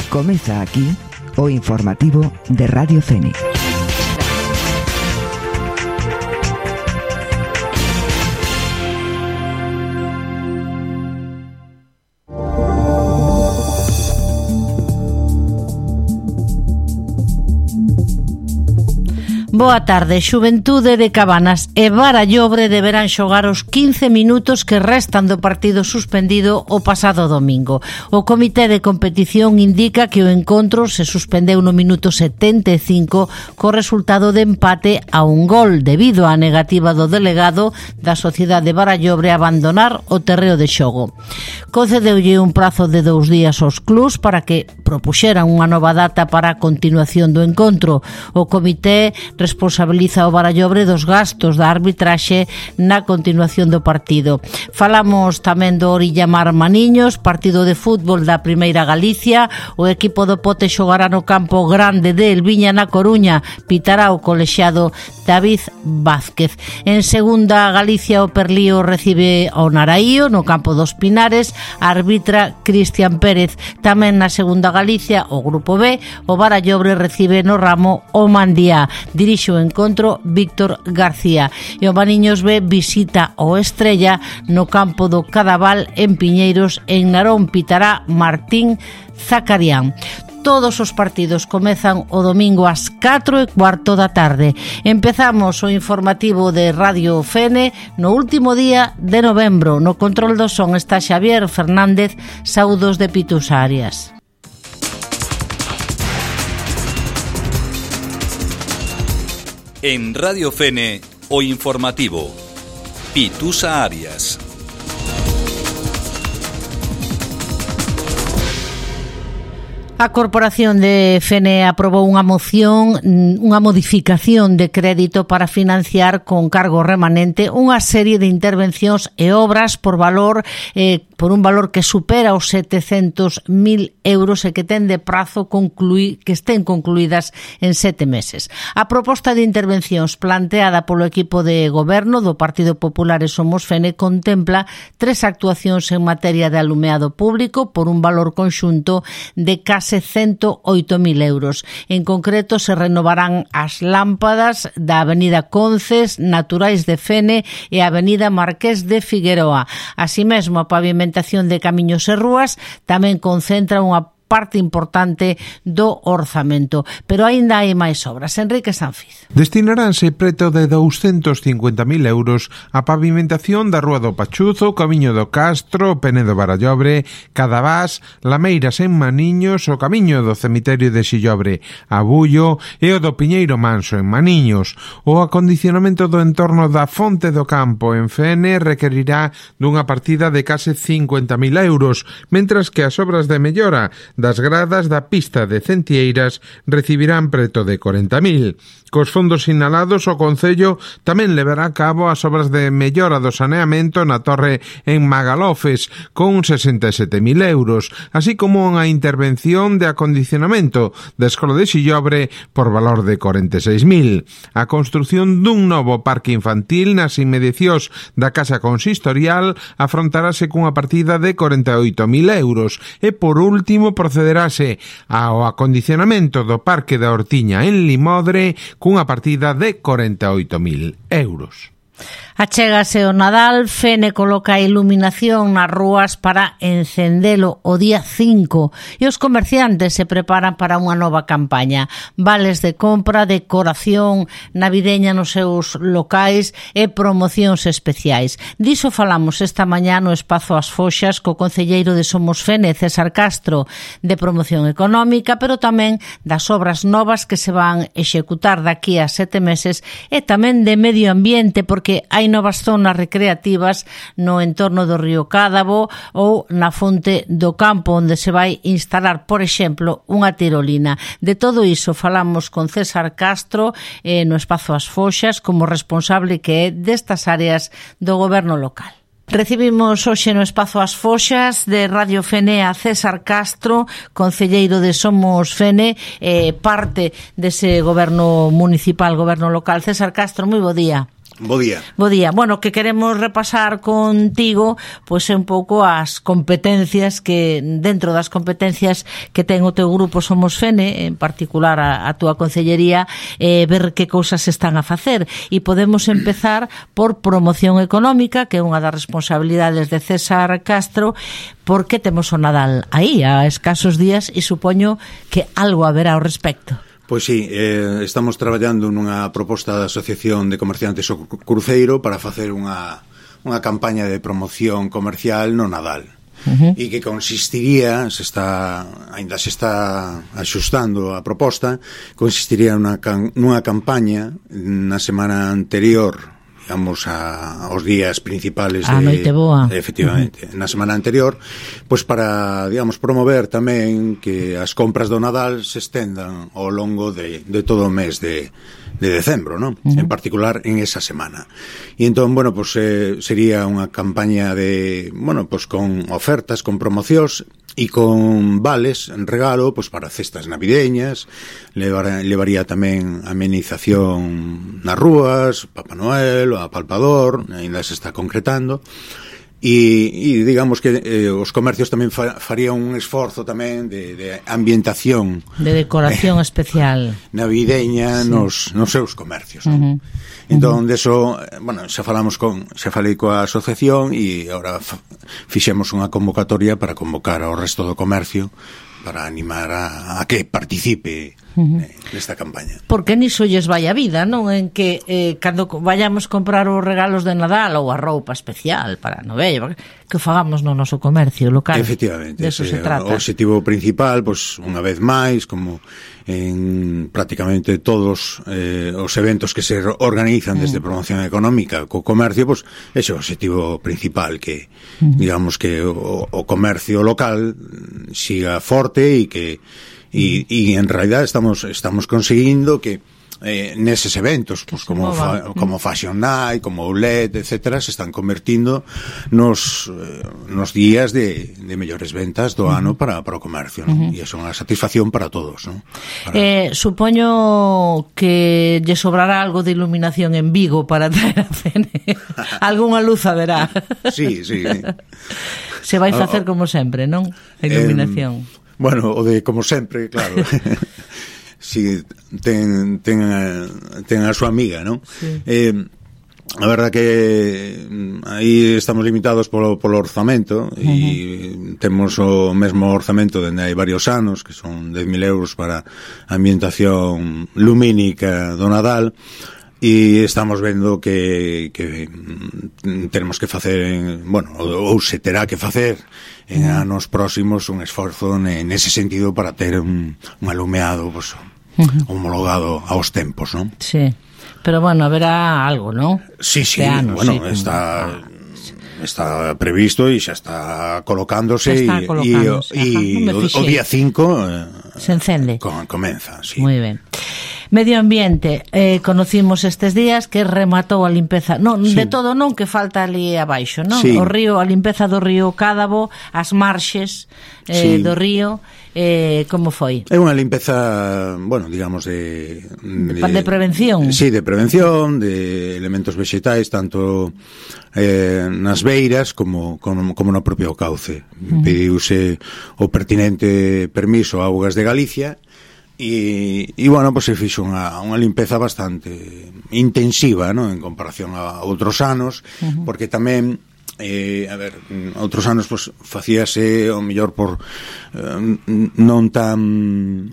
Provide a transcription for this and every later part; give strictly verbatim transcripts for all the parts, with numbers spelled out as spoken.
Comeza aquí o informativo de Radio Fene. Boa tarde. Xuventude de Cabanas e Barallobre deberán xogar os quince minutos que restan do partido suspendido o pasado domingo. O comité de competición indica que o encontro se suspendeu no minuto setenta e cinco co resultado de empate a un gol debido á negativa do delegado da Sociedade de Barallobre a abandonar o terreo de xogo. Concedeulle un prazo de dous días aos clubs para que propuxeran unha nova data para a continuación do encontro. O comité responsabiliza o Barallobre dos gastos da arbitraxe na continuación do partido. Falamos tamén do Orillamar Maniños, partido de fútbol da Primeira Galicia. O equipo do Pote xogará no campo grande de Elviña na Coruña. Pitará o colexiado David Vázquez. En Segunda Galicia o Perlío recibe ao Naraío no campo dos Pinares. Arbitra Cristian Pérez. Tamén na Segunda Galicia o Grupo B, o Barallobre recibe no ramo o Mandía. Dirixe o encontro Víctor García e o Maniños B visita o Estrella no campo do Cadaval en Piñeiros. En Narón pitará Martín Zacarián. Todos os partidos comezan o domingo ás catro e cuarto da tarde. Empezamos o informativo de Radio Fene no último día de novembro. No control do son está Xavier Fernández. Saúdos de Pitusa Arias. En Radio Fene, o informativo. Pitusa Arias. A Corporación de Fene aprobou unha moción, unha modificación de crédito para financiar con cargo remanente unha serie de intervencións e obras por valor eh, por un valor que supera os setecentos mil euros e que ten de prazo concluir, que estén concluídas en sete meses. A proposta de intervencións planteada polo equipo de goberno do Partido Popular e Somos Fene contempla tres actuacións en materia de alumeado público por un valor conxunto de case ciento oito mil euros. En concreto, se renovarán as lámpadas da Avenida Conces, Naturais de Fene e a Avenida Marqués de Figueroa. Así mesmo, a pavimentación de camiños e rúas tamén concentra unha parte importante do orzamento, pero aínda hai máis obras. Enrique Sanfiz. Destinaránse preto de douscentos cincuenta mil euros a pavimentación da Rúa do Pachuzo, Camiño do Castro, Penedo Barallobre, Cadavás, Lameiras en Maniños, o Camiño do Cemiterio de Xillobre, Abullo e o do Piñeiro Manso en Maniños. O acondicionamento do entorno da Fonte do Campo en Fene requerirá dunha partida de case cincuenta mil euros, mentras que as obras de mellora das gradas da pista de Centieiras recibirán preto de corenta mil. Cos fondos sinalados, o Concello tamén levará a cabo as obras de mellora do saneamento na torre en Magalofes, con sesenta e sete mil euros, así como unha intervención de acondicionamento da Escola de Xillobre por valor de corenta e seis mil. A construción dun novo parque infantil nas inmediacións da Casa Consistorial afrontarase cunha partida de corenta e oito mil euros e, por último, procederase ao acondicionamento do Parque da Hortiña en Limodre cunha partida de corenta e oito mil euros. Achégase o Nadal. Fene coloca a iluminación nas rúas para encendelo o día cinco e os comerciantes se preparan para unha nova campaña. Vales de compra, decoración navideña nos seus locais e promocións especiais. Diso falamos esta mañá no Espazo As Foxas co concelleiro de Somos Fene, César Castro, de promoción económica, pero tamén das obras novas que se van executar daqui a sete meses e tamén de medio ambiente, porque hai novas zonas recreativas no entorno do río Cádavo ou na Fonte do Campo, onde se vai instalar, por exemplo, unha tirolina. De todo iso falamos con César Castro eh, no Espazo As Foxas como responsable que é destas áreas do goberno local. Recibimos hoxe no Espazo As Foxas de Radio Fene a César Castro, concelleiro de Somos Fene, eh, parte dese goberno municipal, goberno local. César Castro, moi bo día. Bo día. Bo día. Bueno, que queremos repasar contigo pois é un pouco as competencias que dentro das competencias que ten o teu grupo Somos Fene, en particular a, a túa concellería, eh, ver que cousas están a facer, e podemos empezar por promoción económica, que é unha das responsabilidades de César Castro, porque temos o Nadal aí a escasos días e supoño que algo haberá ao respecto. Pois sí, eh, estamos traballando nunha proposta da Asociación de Comerciantes o Cruceiro para facer unha, unha campaña de promoción comercial no Nadal. Uh-huh. E que consistiría, se está, ainda se está axustando a proposta, consistiría nunha, nunha campaña na semana anterior, digamos, a, aos días principales de, a noite boa. Efectivamente, uh-huh. na semana anterior, pois para, digamos, promover tamén que as compras do Nadal se estendan ao longo de, de todo o mes de, de decembro, ¿no? Uh-huh. En particular en esa semana. E entón, bueno, pois eh, sería unha campaña de, bueno, pois con ofertas, con promocións e con vales en regalo pois para cestas navideñas, levar, levaría tamén amenización nas rúas, Papá Noel, o apalpador, ainda se está concretando. E, e digamos que eh, os comercios tamén fa, farían un esforzo tamén de, de ambientación, de decoración eh, especial navideña, sí, nos, nos seus comercios, ¿no? Uh-huh. Entón, uh-huh. deso, bueno, xa falamos con, xa falei coa asociación e agora fa, fixemos unha convocatoria para convocar ao resto do comercio para animar a, a que participe uh-huh. eh, nesta campaña. Porque niso lles vai a vida, non? En que eh, cando vayamos comprar os regalos de Nadal ou a roupa especial para a novella, que fagamos no noso comercio local. Efectivamente. De eso sí, se trata. O objetivo principal, pois, pues, unha vez máis, como en prácticamente todos eh, os eventos que se organizan desde promoción económica co comercio, pois, pues, ese é o objetivo principal, que, uh-huh. digamos, que o, o comercio local siga forte e que e, e en realidad estamos estamos conseguindo que eh, neses eventos pues, como, fa, como Fashion Night, como Outlet, etcétera, se están convertindo nos, eh, nos días de, de mellores ventas do ano para, para o comercio, ¿no? Uh-huh. E é unha satisfacción para todos, ¿no? Para... Eh, supoño que lle sobrará algo de iluminación en Vigo para traer a Fene. Algúnha luz haberá. Sí, sí, sí. Se vai facer como sempre, non? A iluminación. Eh, bueno, o de como sempre, claro. Si ten, ten, a, ten a súa amiga, non? Sí. Eh, a verdad que aí estamos limitados polo, polo orzamento. Uh-huh. E temos o mesmo orzamento dende hai varios anos, que son dez mil euros para a ambientación lumínica do Nadal, e estamos vendo que, que tenemos que facer, bueno, ou se terá que facer en anos próximos un esforzo nese sentido para ter un, un alumeado, pues, uh-huh. homologado aos tempos, ¿no? Sí, pero bueno, haberá algo, ¿no? Sí, sí, anos, bueno, sí, está... Ah. Está previsto e xa está colocándose está e, colocándose. e, e o, o día cinco eh, se encende. Com, comeza, sí. Moi ben. Medio ambiente, eh, conocimos estes días que rematou a limpeza, non, sí. de todo non, que falta ali abaixo, non? Sí. O río, a limpeza do río Cádabo, as marxes eh, sí. do río, eh, como foi? É unha limpeza, bueno, digamos de, de de prevención. Sí, de prevención, de elementos vexetais, tanto eh, nas beiras como, como, como no propio cauce. Uh-huh. Pediuse o pertinente permiso a Augas de Galicia. E, e bueno, pues se fixo unha, unha limpeza bastante intensiva, ¿no? En comparación a outros anos, uh-huh. porque tamén eh, a ver, outros anos pues, facíase o mellor por eh, non tan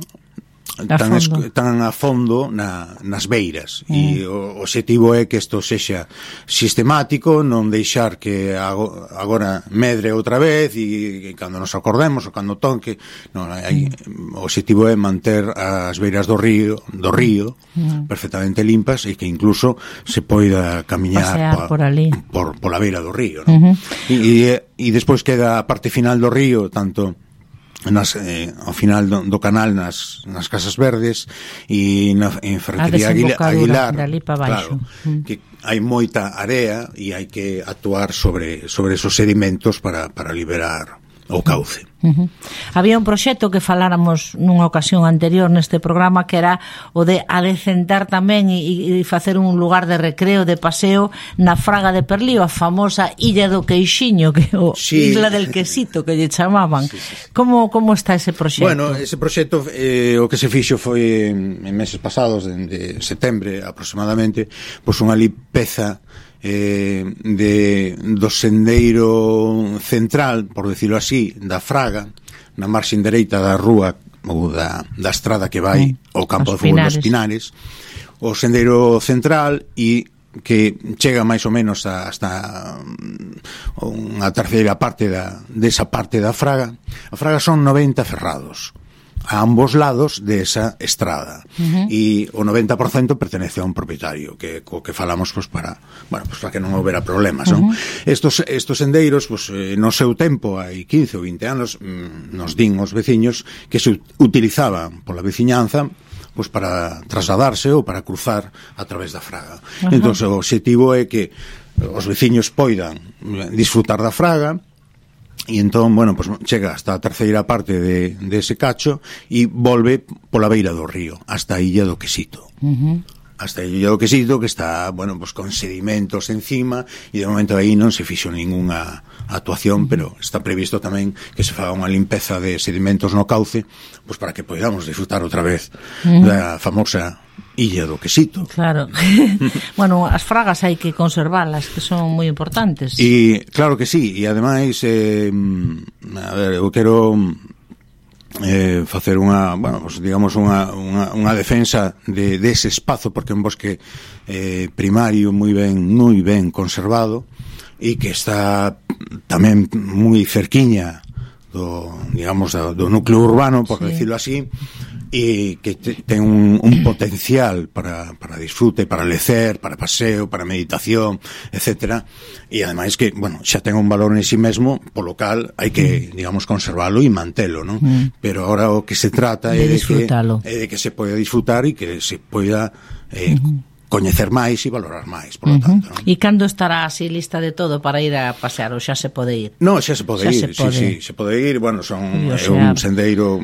tan, es, tan a fondo na, nas beiras, uh-huh. e o obxectivo é que isto sexa sistemático, non deixar que agora medre outra vez e, e cando nos acordemos ou cando tonque, non, hai, uh-huh. o obxectivo é manter as beiras do río do río uh-huh. perfectamente limpas e que incluso se poida camiñar pa, por ali por, por la beira do río, non? Uh-huh. e, e, e despois queda a parte final do río, tanto nas, eh, ao final do, do canal nas, nas Casas Verdes e na en Ferretería Aguilar, claro, mm. que hai moita area e hai que actuar sobre sobre esos sedimentos para, para liberar o cauce. Uh-huh. Había un proxecto que faláramos nunha ocasión anterior neste programa que era o de adecentar tamén e, e facer un lugar de recreo, de paseo na Fraga de Perlío, a famosa Illa do Queixiño, que o sí. Isla del Quesito que lle chamaban. Sí, sí, sí. Como, como está ese proxecto? Bueno, ese proxecto eh, o que se fixo foi en meses pasados, de, de setembro aproximadamente, pois unha limpeza Eh, de, do sendeiro central, por decirlo así, da Fraga, na marxen dereita da rúa ou da, da estrada que vai ao campo de fútbol dos Pinares, o sendeiro central, e que chega máis ou menos a, hasta unha terceira parte da, desa parte da Fraga. A Fraga son noventa ferrados a ambos lados de esa estrada, uh-huh. e o noventa por cento pertenece a un propietario que co que falamos pues para, bueno, pues para que non houbera problemas, uh-huh. non? Estos estos sendeiros, pues eh, no seu tempo, hai quince ou vinte anos, mm, nos din os veciños que se utilizaban pola veciñanza pues para trasladarse ou para cruzar a través da Fraga. Uh-huh. Entón, o obxectivo é que os veciños poidan disfrutar da Fraga. E entón, bueno, pues chega hasta a terceira parte de, de ese cacho e volve pola beira do río hasta a Illa do Quesito. Uh-huh. Hasta a Illa do Quesito, que está, bueno, pues con sedimentos encima, e de momento aí non se fixo ningunha actuación, uh-huh. pero está previsto tamén que se faga unha limpeza de sedimentos no cauce, pues para que podamos disfrutar outra vez uh-huh. da famosa Illa do Quesito. Claro. Bueno, as fragas hai que conservalas, que son moi importantes. E claro que sí, e ademais eh, a ver, eu quero eh, facer unha, bueno, pues, digamos unha, unha, unha defensa de, de ese espazo, porque é un bosque eh, primario moi ben, moi ben conservado, e que está tamén moi cerquiña do, digamos, do, do núcleo urbano, por sí. decirlo así, e que te, ten un, un potencial para, para disfrute, para lecer, para paseo, para meditación, etcétera, e ademais que, bueno, xa ten un valor en sí mesmo, polo cal hai que, digamos, conservalo e mantelo, non? Mm. Pero ahora o que se trata de é de que, é de que se poida disfrutar e que se poida eh, mm-hmm. coñecer máis e valorar máis, por lo uh-huh. tanto, non? E cando estará así lista de todo para ir a pasear, ou xa se pode ir? No, xa se pode xa ir, se pode. sí, sí, se pode ir, bueno, son é un sendeiro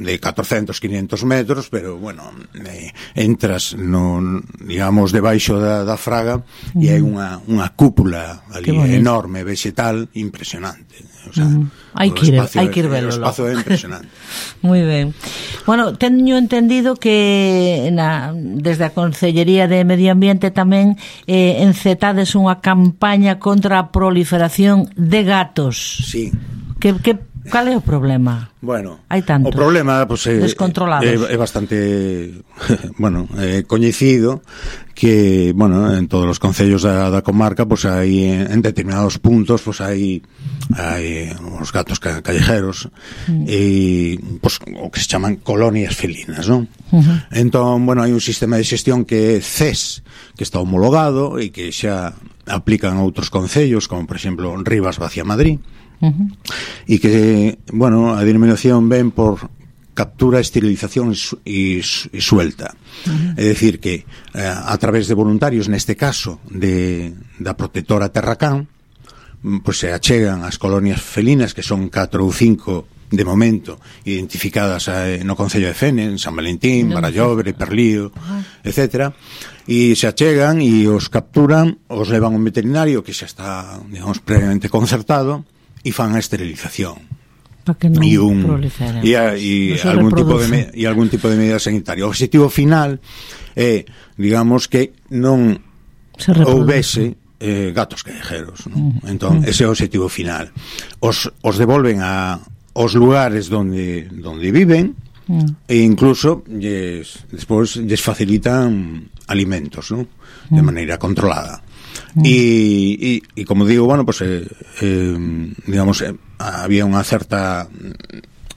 de catorcentos, quinientos metros, pero, bueno, eh, entras no, digamos, debaixo da, da Fraga, uh-huh. e hai unha, unha cúpula ali enorme, vegetal, impresionante. O sea, uh-huh. hai que ir, hai que ir velo. O espazo é impresionante. Moi ben. Bueno, teño entendido que na, desde a Consellería de Medio Ambiente tamén eh, encetades unha campaña contra a proliferación de gatos. Sí. Que, que, cal é o problema? Bueno, hai tantos, o problema pues, é, descontrolados. É, é bastante bueno, é coñecido que, bueno, en todos os concellos da, da comarca, pues hai en determinados puntos, pues hai hai os gatos ca, callejeros mm. e pues o que se chaman colonias felinas, non? Uh-huh. Entón, bueno, hai un sistema de xestión que é C E S, que está homologado e que xa aplican outros concellos, como por exemplo Rivas Vacía Madrid. Uh-huh. E que, bueno, a denominación ven por captura, esterilización e, e suelta. Uh-huh. É dicir que eh, a través de voluntarios, neste caso de, da protectora Terracán, pues se achegan as colonias felinas, que son catro ou cinco de momento identificadas eh, no concello de Fene, en San Valentín, Barallobre, Perlío, uh-huh. etcétera, e se achegan e os capturan, os levan a un veterinario que xa está, digamos, previamente concertado, e fan a esterilización para que non e un proliferen e, a, e no algún tipo de me, e algún tipo de medida sanitaria. O objetivo final é, digamos, que non houbese eh, gatos callejeros, ¿no? Uh-huh. Entón, ese é o objetivo final. Os, os devolven a os lugares donde donde viven, uh-huh. e incluso lles, despois lles facilitan alimentos, ¿no? De uh-huh. maneira controlada. E, e, e como digo, bueno, pues eh, eh, digamos, eh, había unha certa,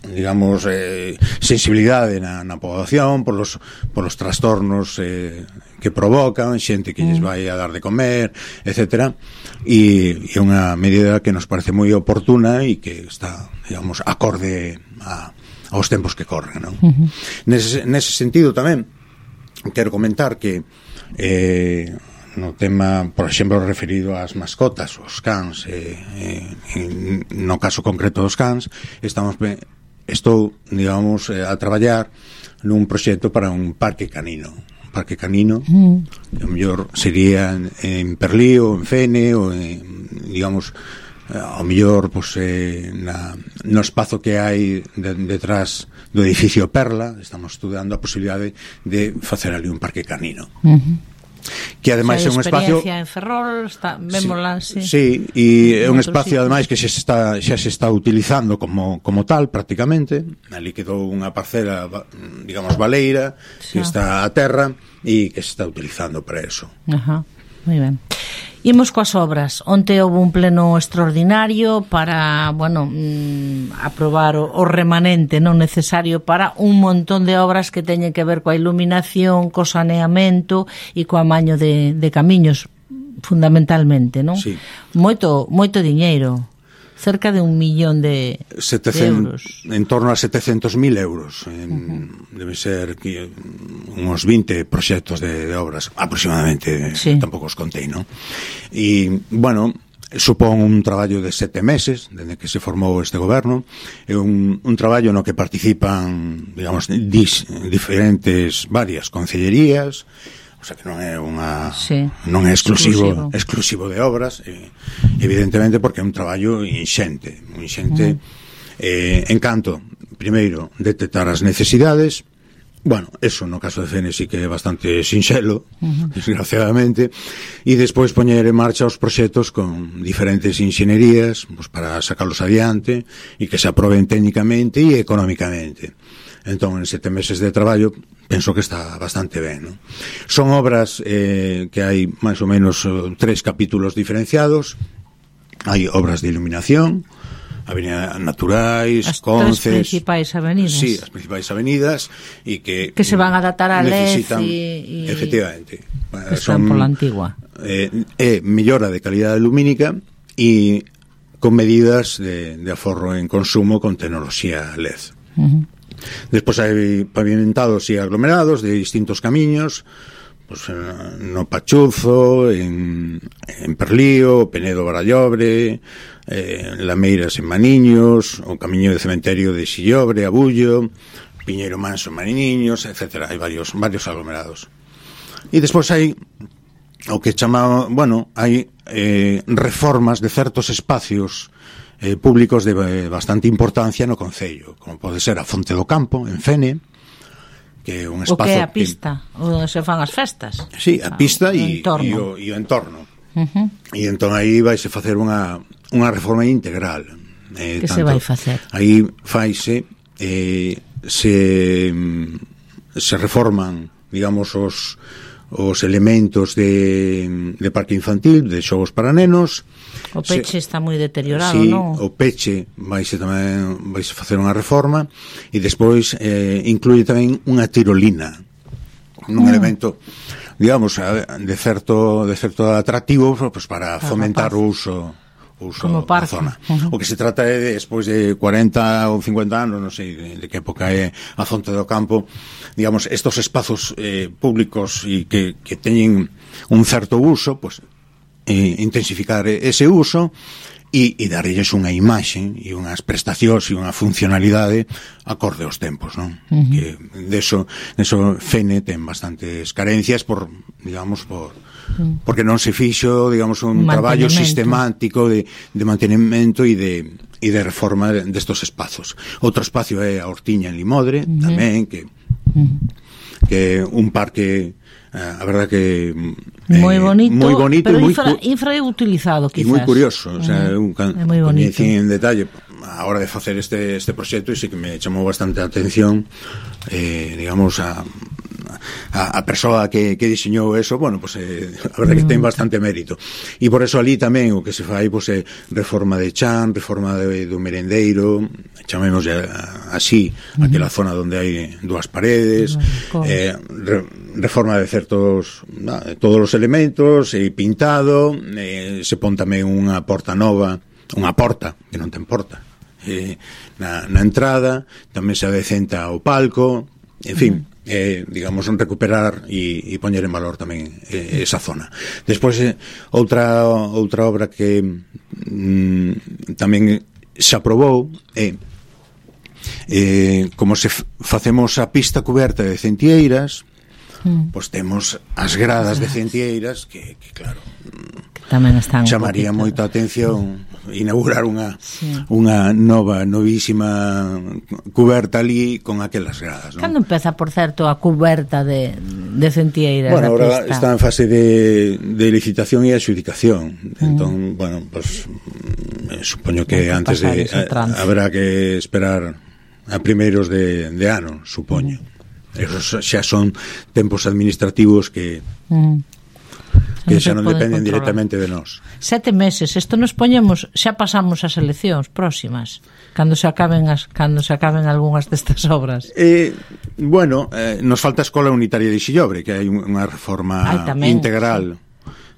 digamos, eh, sensibilidade na, na poboación por los, por los trastornos eh, que provocan, xente que lles vai a dar de comer, etcétera, e é unha medida que nos parece moi oportuna e que está, digamos, acorde a, aos tempos que corren, non? Uh-huh. Nese, nese sentido tamén quero comentar que eh, no tema, por exemplo, referido ás mascotas, os cans, eh, eh, no caso concreto dos cans, estamos estou, digamos, eh, a traballar nun proxecto para un parque canino, un parque canino, mm. que o mellor sería en, en Perlío, en Fene, ou en, digamos, ao mellor, pois, eh, na, no espazo que hai de, detrás do edificio Perla, estamos estudando a posibilidade de facer ali un parque canino. Uh-huh. Que ademais é un espacio en Ferrol, está, vémola, sí. Sí, e é un espacio ademais que xa se está xa se está utilizando como como tal prácticamente. Ali quedou unha parcela, digamos, baleira, sí, que está a terra e que se está utilizando para eso. Ajá. Moi ben. Imos coas obras. Onte houve un pleno extraordinario para, bueno, mmm, aprobar o, o remanente non necesario para un montón de obras que teñen que ver coa iluminación, co saneamento e co amaño de, de camiños, fundamentalmente, non? Sí. Moito, moito diñeiro. Cerca de un millón de, setecientos, de euros. En torno a setecentos mil euros. En, uh-huh. Debe ser que unos vinte proxectos de, de obras, aproximadamente, sí. Tampouco os contei, non? E, bueno, supón un traballo de sete meses, desde que se formou este goberno. É un, un traballo no que participan, digamos, dis, diferentes, varias concellerías. O sea que non é unha sí, non é exclusivo, exclusivo exclusivo de obras, eh, evidentemente porque é un traballo inxente, inxente mm. eh, en canto, primeiro, detectar as necesidades. Bueno, eso no caso de Fene sí que é bastante sinxelo, uh-huh. desgraciadamente, e despois poñer en marcha os proxectos con diferentes inxenerías, pues, para sacarlos adiante e que se aproben técnicamente e económicamente. Entón, en sete meses de traballo, penso que está bastante ben, ¿no? Son obras eh, que hai máis ou menos tres capítulos diferenciados. Hai obras de iluminación, avenidas naturais, as Conces... As principais avenidas. Sí, as principais avenidas, e que... Que se van a adaptar a L E D y... Efectivamente. Están por la antigua. Eh, é mellora de calidade lumínica e con medidas de, de aforro en consumo con tecnoloxía L E D. Uh-huh. Despois hai pavimentados e aglomerados de distintos camiños, pues, no Pachuzo, en, en Perlío, Penedo Barallobre, eh, Lameiras en Maniños, o camiño de cementerio de Xillobre, Abullo, Piñeiro Manso en Maniños, etcétera. Hai varios, varios aglomerados. E despois hai o que chamamos, bueno, hai eh, reformas de certos espacios Eh, públicos de eh, bastante importancia no concello, como pode ser a Fonte do Campo en Fene, que é un espazo... O que é a pista, que... onde se fan as festas. Sí, a pista e o, e o entorno. Uh-huh. E entón aí vaise facer unha, unha reforma integral. Eh, que tanto, se vai facer? Aí faise, eh, se, se reforman, digamos, os, os elementos de, de parque infantil, de xogos para nenos. O peche se, está moi deteriorado, sí, non? O peche vaise tamén vaise facer unha reforma e despois eh, incluye tamén unha tirolina, un mm. elemento, digamos, de certo de certo atractivo, pues, para fomentar o uso o uso da zona. Uh-huh. O que se trata é, despois de cuarenta ou cincuenta anos, non sei de, de que época é a Fonte do Campo, digamos, estos espazos eh, públicos e que, que teñen un certo uso, pues Eh, intensificar ese uso e, e darlles unha imaxe e unhas prestacións e unha funcionalidade acorde aos tempos, non? Uh-huh. Que deso, deso Fene ten bastantes carencias por, digamos, por uh-huh. porque non se fixo, digamos, un traballo sistemático de, de mantenimento e de e de reforma destos espazos. Outro espacio é a Hortiña en Limodre, uh-huh. tamén, que uh-huh. que un parque, a verdad que eh, moi bonito, moi bonito, pero moi infra, infrautilizado, quizás. E moi curioso, o sea, uh-huh. un can, é moi bonito. En detalle a hora de facer este este proxecto, e sí que me chamou bastante a atención, eh, digamos, a a, a persoa que, que diseñou eso, bueno, pues eh, a verdade que ten bastante mérito. E por eso ali tamén o que se fai, pues, é reforma de chan, reforma de, do merendeiro, chamemos así, uh-huh. aquela zona onde hai dúas paredes, uh-huh. eh, re, reforma de certos, nah, todos os elementos, e pintado, eh, se pon tamén unha porta nova, unha porta, que non ten porta, eh, na, na entrada, tamén se adecenta o palco, en fin, uh-huh. eh, digamos, recuperar e, e poñer en valor tamén eh, esa zona. Despois, eh, outra outra obra que mm, tamén se aprobou é eh, como se f- facemos a pista cuberta de Centieiras, mm. pois temos as gradas de Centieiras que, que claro, tamén están chamaría moita atención inaugurar unha sí. unha nova, novísima cuberta ali con aquelas gradas, non? Cando empeza, por certo, a cuberta de, de Centieiras? Bueno, ahora está en fase de, de licitación e adjudicación. Mm. Entón, bueno, pues supoño que no antes de a, habrá que esperar a primeiros de, de ano, supoño. Mm. Esos xa son tempos administrativos que mm. que xa non dependen controlar. Directamente de nós. Sete meses, isto nos poñemos, xa pasamos as eleccións próximas, cando se acaben as, cando se acaben algunhas destas obras. Eh, bueno, eh, nos falta a Escola Unitaria de Xillobre, que hai unha reforma Ay, tamén, integral. Sí.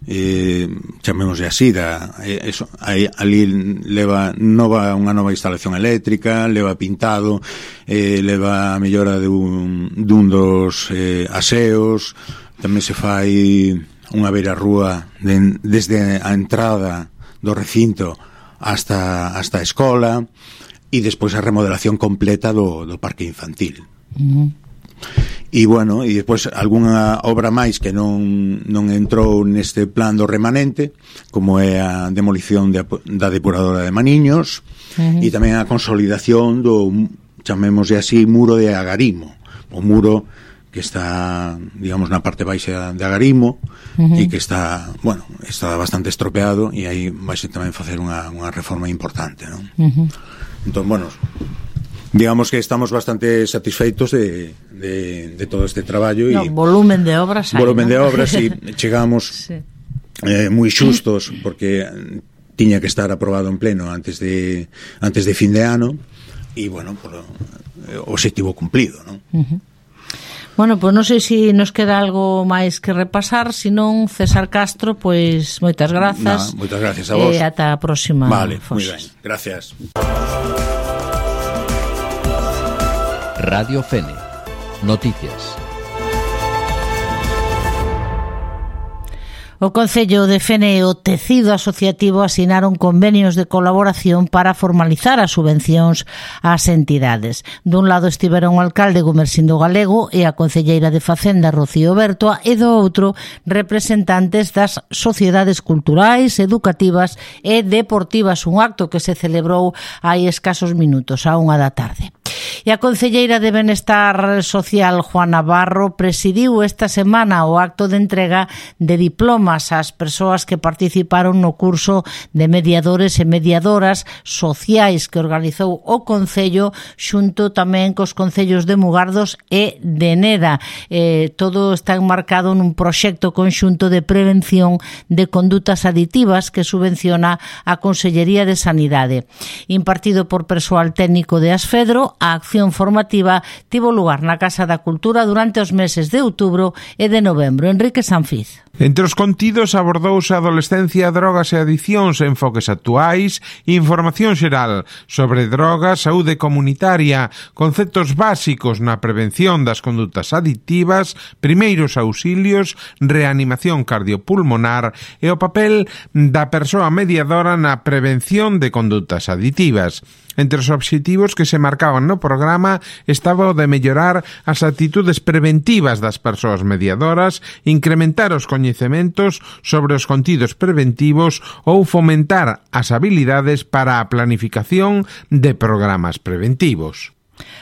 Eh, chamémosle así, da, eh, eso, aí, ali leva nova, unha nova instalación eléctrica, leva pintado, eh, leva a mellora dun, dun dos eh, aseos, tamén se fai unha beira rúa de, desde a entrada do recinto hasta, hasta a escola e despois a remodelación completa do, do parque infantil. Uh-huh. E bueno, e despois algunha obra máis que non, non entrou neste plan do remanente, como é a demolición de, da depuradora de Maniños, uh-huh. e tamén a consolidación do, chamémosle así, muro de Agarimo, o muro que está, digamos, na parte baixa de Agarimo, uh-huh. e que está, bueno, está bastante estropeado e aí vai tamén facer unha, unha reforma importante, non? Uh-huh. Entón, bueno, digamos que estamos bastante satisfeitos de, de, de todo este traballo. No, e volumen de obras hai, volumen ¿no? de obras e chegamos sí. eh, moi xustos porque tiña que estar aprobado en pleno antes de antes de fin de ano e, bueno, por o objetivo cumplido, non? Uh-huh. Bueno, pois pues non sei se nos queda algo máis que repasar, senón César Castro, pois moitas grazas. Nah, moitas gracias a vos. E ata a próxima. Vale, moi ben. Gracias. Radio Fene. Noticias. O Concello de Fene e o Tecido Asociativo asinaron convenios de colaboración para formalizar as subvencións ás entidades. Dun lado estiveron o alcalde Gumersindo Galego e a concelleira de Facenda Rocío Bertoa e do outro representantes das sociedades culturais, educativas e deportivas, un acto que se celebrou hai escasos minutos, a unha da tarde. E a concelleira de Benestar Social, Juan Navarro, presidiu esta semana o acto de entrega de diplomas ás persoas que participaron no curso de mediadores e mediadoras sociais que organizou o Concello xunto tamén cos concellos de Mugardos e de Neda. Eh, todo está enmarcado nun proxecto conxunto de prevención de condutas aditivas que subvenciona a Consellería de Sanidade. Impartido por persoal técnico de Asfedro, a acción formativa tivo lugar na Casa da Cultura durante os meses de outubro e de novembro. Enrique Sanfiz. Entre os contidos abordouse a adolescencia, drogas e adicións, enfoques actuais, información xeral sobre drogas, saúde comunitaria, conceptos básicos na prevención das condutas adictivas, primeiros auxilios, reanimación cardiopulmonar e o papel da persoa mediadora na prevención de condutas aditivas. Entre os obxectivos que se marcaban no programa estaba o de mellorar as actitudes preventivas das persoas mediadoras, incrementar os coñecementos sobre os contidos preventivos ou fomentar as habilidades para a planificación de programas preventivos.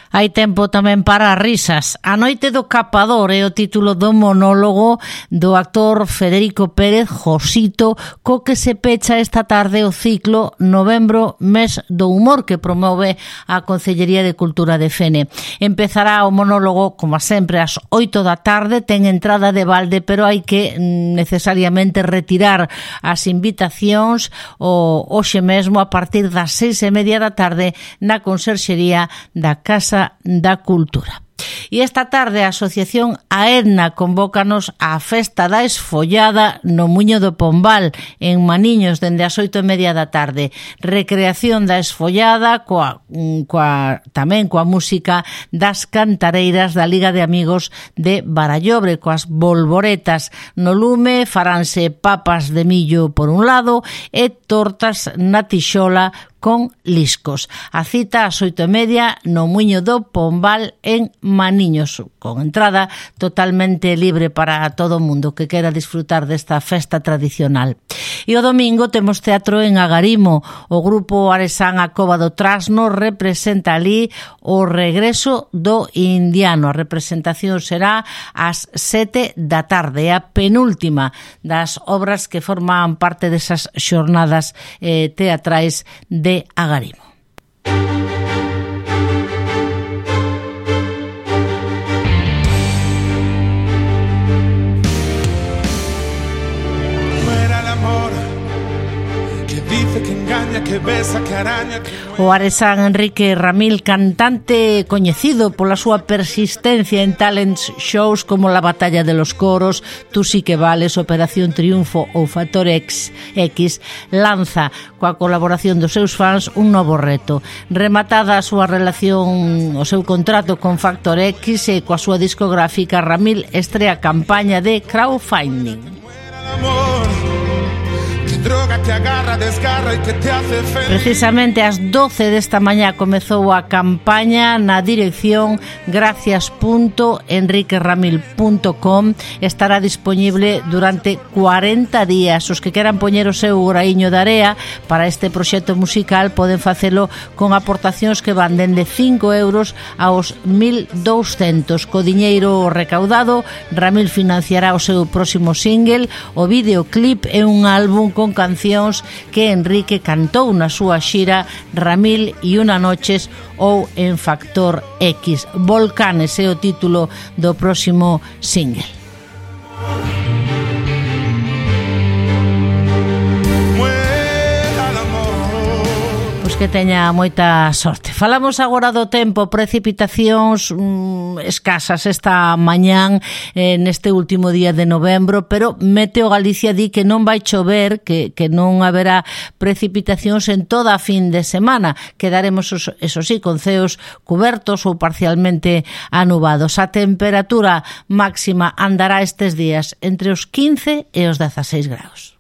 Hai tempo tamén para as risas. A noite do capador é o título do monólogo do actor Federico Pérez, Josito, co que se pecha esta tarde o ciclo Novembro, mes do humor, que promove a Concellería de Cultura de Fene. Empezará o monólogo, como sempre, ás oito da tarde, ten entrada de balde, pero hai que necesariamente retirar as invitacións o hoxe mesmo a partir das seis e media da tarde na Conserxería da Casa da Cultura. E esta tarde a Asociación Aedna convócanos á Festa da Esfollada no Muiño do Pombal, en Maniños, dende as oito e media da tarde. Recreación da Esfollada, coa, coa, tamén coa música das cantareiras da Liga de Amigos de Barallobre, coas bolboretas no lume, faránse papas de millo por un lado e tortas na tixola con liscos. A cita ás oito e media no Muiño do Pombal en Maniños, con entrada totalmente libre para todo o mundo que quera disfrutar desta festa tradicional. E o domingo temos teatro en Agarimo. O grupo aresán A Cova do Trasno representa ali o regreso do indiano. A representación será ás sete da tarde, a penúltima das obras que forman parte desas xornadas eh, teatrais de Agarimo. O aresán Enrique Ramil, cantante coñecido pola súa persistencia en talents shows como La Batalla de los Coros, Tú sí que vales, Operación Triunfo ou Factor X, X, lanza coa colaboración dos seus fans un novo reto. Rematada a súa relación, o seu contrato con Factor X e coa súa discográfica, Ramil estrea campaña de crowdfunding. Precisamente ás doce desta mañá comezou a campaña na dirección gracias punto enrique ramil punto com. Estará dispoñible durante cuarenta días. Os que queran poñer o seu graiño de area para este proxecto musical poden facelo con aportacións que van dende cinco euros aos mil douscentos. Co diñeiro recaudado, Ramil financiará o seu próximo single, o videoclip e un álbum con cancións que Enrique cantou na súa xira Ramil e Una Noches ou en Factor X. Volcanes é o título do próximo single. Que teña moita sorte. Falamos agora do tempo, precipitacións mmm, escasas esta mañán eh, neste último día de novembro, pero Meteo Galicia di que non vai chover, que, que non haberá precipitacións en toda a fin de semana. Quedaremos, eso sí, con ceos cubertos ou parcialmente anubados. A temperatura máxima andará estes días entre os quince e os dezaseis graus.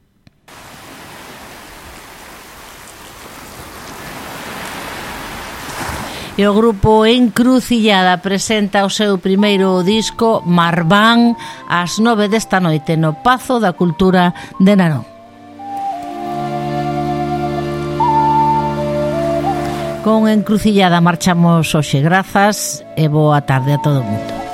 E o grupo Encrucillada presenta o seu primeiro disco Marván ás nove desta noite no Pazo da Cultura de Narón. Con Encrucillada marchamos hoxe. Grazas e boa tarde a todo o mundo.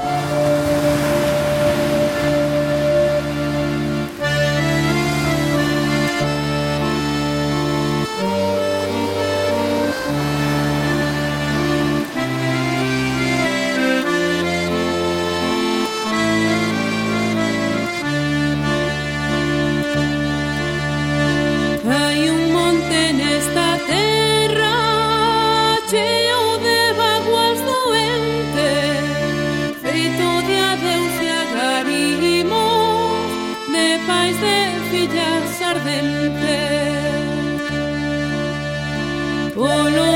Ardente, oh, no.